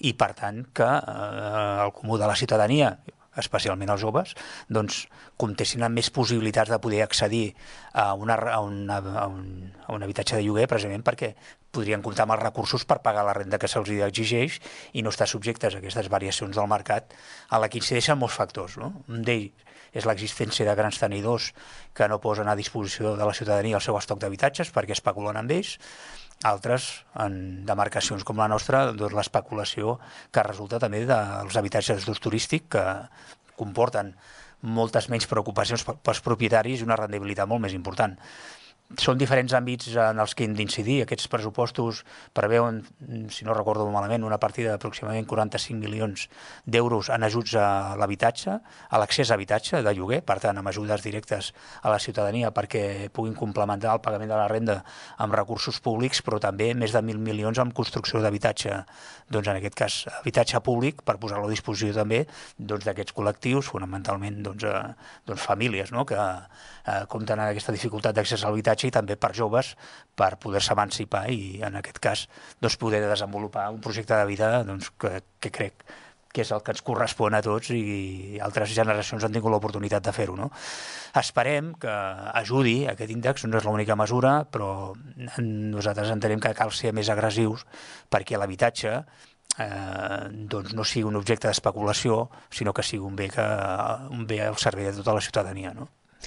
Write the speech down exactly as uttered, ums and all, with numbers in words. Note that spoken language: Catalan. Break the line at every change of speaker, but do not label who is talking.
i per tant que eh, el comú de la ciutadania, especialment els joves, doncs comptessin amb més possibilitats de poder accedir a, una, a, una, a, un, a un habitatge de lloguer, precisament perquè podrien comptar amb els recursos per pagar la renda que se'ls exigeix i no estar subjectes a aquestes variacions del mercat a la que incideixen molts factors, no? Un d'ells és l'existència de grans tenidors que no posen a disposició de la ciutadania el seu estoc d'habitatges perquè especulen amb ells. Altres, en demarcacions com la nostra, doncs l'especulació que resulta també dels habitatges d'ús turístic que comporten moltes menys preocupacions pels propietaris i una rendibilitat molt més important. Són diferents àmbits en els que hem d'incidir. Aquests pressupostos preveuen, si no recordo malament, una partida d'aproximadament quaranta-cinc milions d'euros en ajuts a l'habitatge, a l'accés a habitatge de lloguer, per tant, amb ajudes directes a la ciutadania perquè puguin complementar el pagament de la renda amb recursos públics, però també més de mil milions en construcció d'habitatge, doncs en aquest cas habitatge públic, per posar-lo a disposició també doncs, d'aquests col·lectius, fonamentalment doncs, eh, doncs famílies, no?, que eh, compten amb aquesta dificultat d'accés a l'habitatge i també per joves per poder-se emancipar i en aquest cas doncs, poder desenvolupar un projecte de vida doncs, que, que crec que és el que ens correspon a tots i altres generacions han tingut l'oportunitat de fer-ho, no? Esperem que ajudi aquest índex, no és l'única mesura, però nosaltres entenem que cal ser més agressius perquè l'habitatge eh, doncs no sigui un objecte d'especulació, sinó que sigui un bé, que, un bé al servei de tota la ciutadania, no?